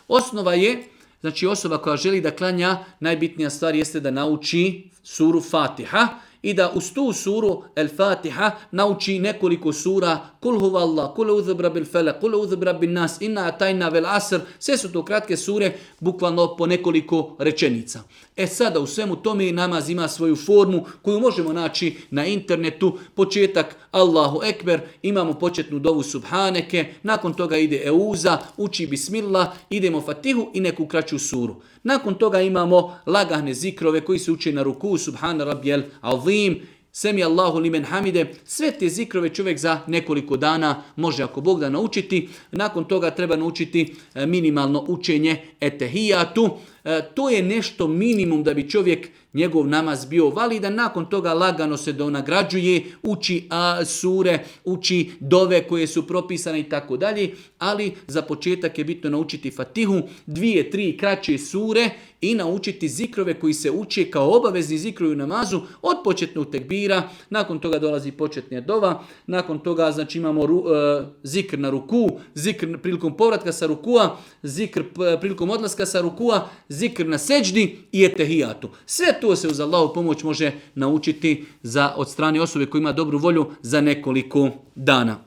Osnova je, znači osoba koja želi da klanja, najbitnija stvar jeste da nauči suru Fatiha i da uz tu suru El Fatiha nauči nekoliko sura, kul huvallah, kul uzubra bil felak, kul uzubra bin nas, inna atajna vel asr, sve su to kratke sure, bukvalno po nekoliko rečenica. Sada u svemu tome namaz ima svoju formu koju možemo naći na internetu. Početak Allahu Ekber, imamo početnu dovu Subhaneke, nakon toga ide Euza, uči Bismillah, idemo Fatihu i neku kraću suru. Nakon toga imamo lagahne zikrove koji se uče na ruku, Subhana Rabbijel Azim, Semi Allahu limen hamide. Sve te zikrove čovjek za nekoliko dana može, ako Bog da, naučiti. Nakon toga treba naučiti minimalno učenje etehijatu. To je nešto minimum da bi čovjek, njegov namaz bio validan. Nakon toga lagano se donagrađuje, uči sure, uči dove koje su propisane i tako dalje. Ali za početak je bitno naučiti Fatihu, 2-3 kraće sure i naučiti zikrove koji se uče kao obavezni zikrovi u namazu od početnog tekbira. Nakon toga dolazi početna dova. Nakon toga znači imamo zikr na ruku, zikr prilikom povratka sa rukua, zikr prilikom odlaska sa rukua, zikr na seđdi i etehijatu. Sve to se uz Allahu pomoć može naučiti od strane osobe koja ima dobru volju za nekoliko dana.